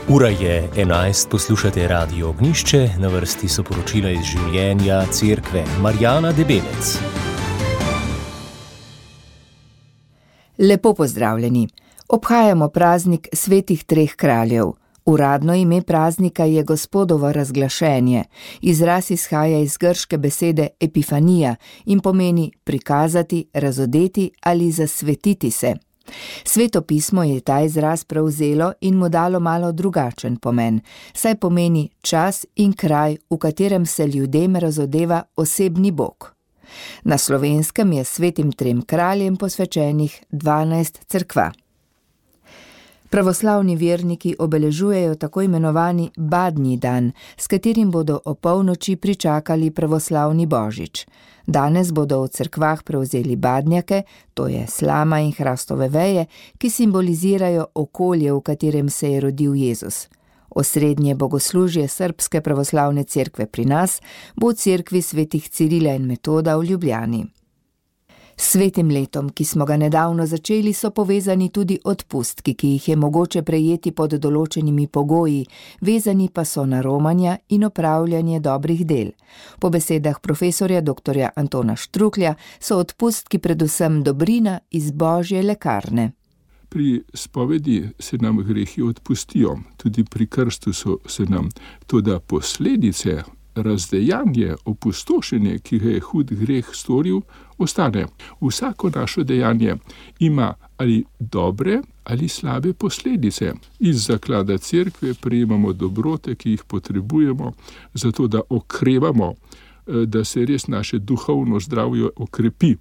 Ura je 11, poslušate Radio Ognjišče, na vrsti so poročila iz življenja cerkve. Marjana Debelec. Lepo pozdravljeni. Obhajamo praznik svetih treh kraljev. Uradno ime praznika je Gospodovo razglašenje. Izraz izhaja iz grške besede epifanija in pomeni prikazati, razodeti ali zasvetiti se. Sveto pismo je ta izraz prevzelo in mu dalo malo drugačen pomen, saj pomeni čas in kraj, v katerem se ljudem razodeva osebni Bog. Na Slovenskem je svetim trem kraljem posvečenih 12 cerkva. Pravoslavni verniki obeležujejo tako imenovani Badnji dan, s katerim bodo o polnoči pričakali pravoslavni božič. Danes bodo v cerkvah prevzeli badnjake, to je slama in hrastove veje, ki simbolizirajo okolje, v katerem se je rodil Jezus. Osrednje bogoslužje Srbske pravoslavne cerkve pri nas bo v cerkvi svetih Cirila in Metoda v Ljubljani. S svetim letom, ki smo ga nedavno začeli, so povezani tudi odpustki, ki jih je mogoče prejeti pod določenimi pogoji, vezani pa so na romanja in opravljanje dobrih del. Po besedah profesorja dr. Antona Štruklja so odpustki predvsem dobrina iz Božje lekarne. Pri spovedi se nam grehi odpustijo, tudi pri krstu se nam, toda posledice, razdejanje, opustošenje, ki ga je hud greh storil, ostane. Vsako naše dejanje ima ali dobre ali slabe posledice. Iz zaklada cerkve prejemamo dobrote, ki jih potrebujemo, zato da okrevamo, da se res naše duhovno zdravje okrepi.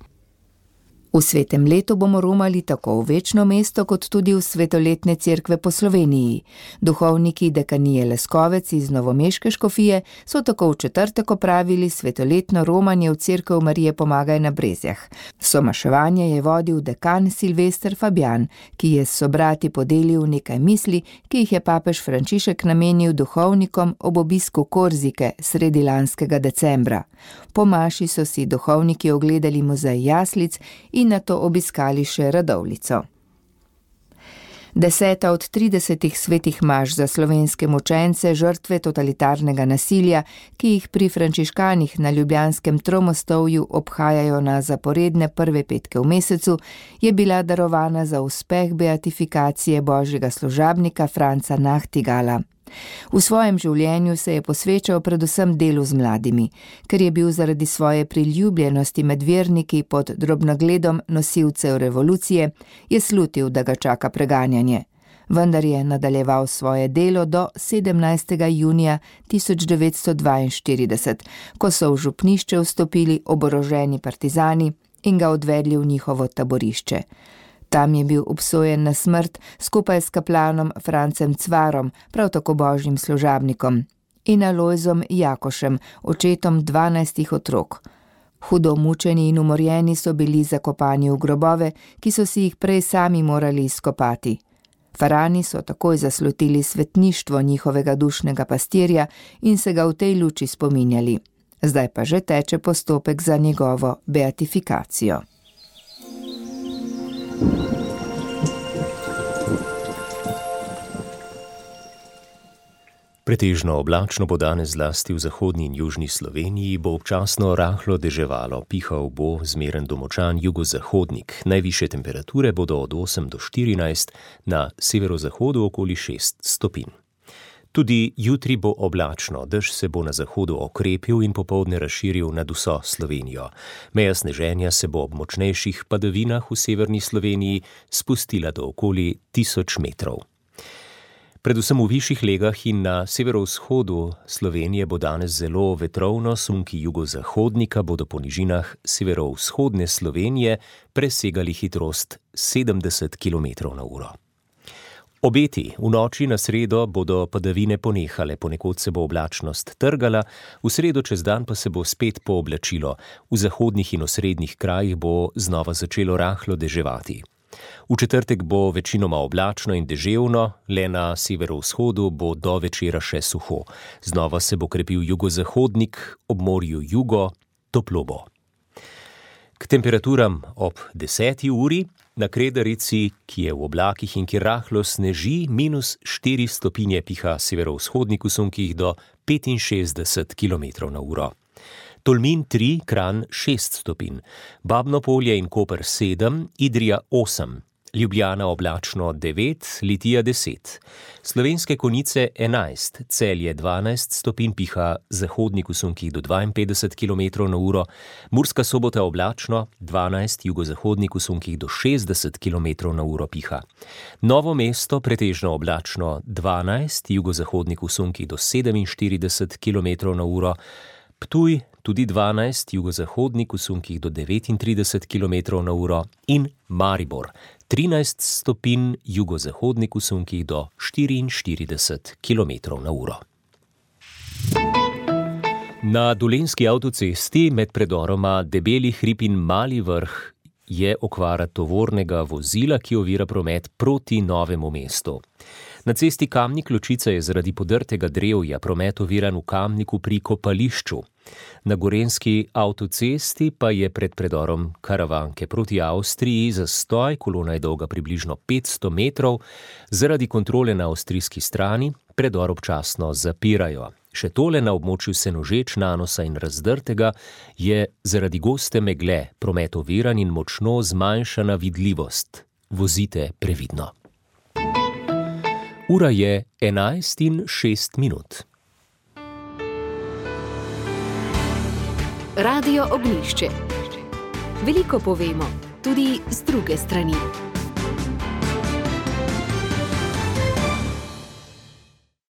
V svetem letu bomo romali tako v večno mesto, kot tudi v svetoletne cerkve po Sloveniji. Duhovniki dekanije Leskovec iz novomeške škofije so tako v četrtek opravili svetoletno romanje v cerkev Marije Pomagaj na Brezjah. Somaševanje je vodil dekan Silvester Fabjan, ki je s sobrati podelil nekaj misli, ki jih je papež Frančišek namenil duhovnikom ob obisku Korzike sredi lanskega decembra. Po maši so si duhovniki ogledali muzej jaslic in nato obiskali še radovljico. 10. od 30 svetih maš za slovenske mučence, žrtve totalitarnega nasilja, ki jih pri frančiškanih na ljubljanskem Tromostovju obhajajo na zaporedne prve petke v mesecu, je bila darovana za uspeh beatifikacije božjega služabnika Franca Nachtigala. V svojem življenju se je posvečal predvsem delu z mladimi, ker je bil zaradi svoje priljubljenosti med verniki pod drobnogledom nosilcev revolucije, je slutil, da ga čaka preganjanje. Vendar je nadaljeval svoje delo do 17. junija 1942, ko so v župnišče vstopili oboroženi partizani in ga odvedli v njihovo taborišče. Tam je bil obsojen na smrt skupaj s kaplanom Francem Cvarom, prav tako božjim služabnikom, in Alojzom Jakošem, očetom 12 otrok. Hudo mučeni in umorjeni so bili zakopani v grobove, ki so si jih prej sami morali izkopati. Farani so takoj zaslutili svetništvo njihovega dušnega pastirja in se ga v tej luči spominjali. Zdaj pa že teče postopek za njegovo beatifikacijo. Pretežno oblačno bo danes zlasti v zahodni in južni Sloveniji, bo občasno rahlo deževalo, pihal bo zmeren do močan jugozahodnik. Najvišje temperature bodo od 8 do 14, na severozahodu okoli 6 stopinj. Tudi jutri bo oblačno, dež se bo na zahodu okrepil in popoldne razširil nad vso Slovenijo. Meja sneženja se bo ob močnejših padavinah v severni Sloveniji spustila do okoli 1000 metrov. Predvsem v višjih legah in na severovzhodu Slovenije bo danes zelo vetrovno, sunki jugozahodnika bodo po nižinah severovzhodne Slovenije presegali hitrost 70 km/h. Obeti v noči na sredo bodo padavine ponehale, ponekod se bo oblačnost trgala, v sredo čez dan pa se bo spet pooblačilo. V zahodnih in osrednjih krajih bo znova začelo rahlo deževati. V četrtek bo večinoma oblačno in deževno, le na severovzhodu bo do večera še suho. Znova se bo krepil jugozahodnik, ob morju jugo, toplo bo. K temperaturam ob 10. uri na Kredarici, ki je v oblakih in kjer rahlo sneži, -4 stopinje piha severovzhodnik v sunkih do 65 km/h. Tolmin 3, Kranj 6 stopinj, Babno Polje in Koper 7, Idrija 8, Ljubljana oblačno 9, Litija 10, Slovenske Konjice 11, Celje 12 stopinj piha zahodnik v sunkih do 52 km/h, Murska Sobota oblačno 12, jugozahodnik v sunkih do 60 km/h piha. Novo mesto pretežno oblačno 12, jugozahodnik v sunkih do 47 km/h, Ptuj tudi 12, jugozahodnik v sunkih do 39 km/h in Maribor 13 stopinj, jugozahodnik v sunkih do 44 km/h. Na Dolenjski avtocesti med predoroma Debeli hrib in Mali Vrh je okvara tovornega vozila, ki ovira promet proti Novemu mestu. Na cesti Kamnik-Ločica je zaradi podrtega drevja promet oviran v Kamniku pri kopališču. Na Gorenjski avtocesti pa je pred predorom Karavanke proti Avstriji zastoj, kolona je dolga približno 500 metrov, zaradi kontrole na avstrijski strani predor občasno zapirajo. Še tole na območju Senožeč, Nanosa in Razdrtega je zaradi goste megle promet oviran in močno zmanjšana vidljivost. Vozite previdno. Ura je 11:06. Radio Ognjišče. Veliko povemo, tudi z druge strani.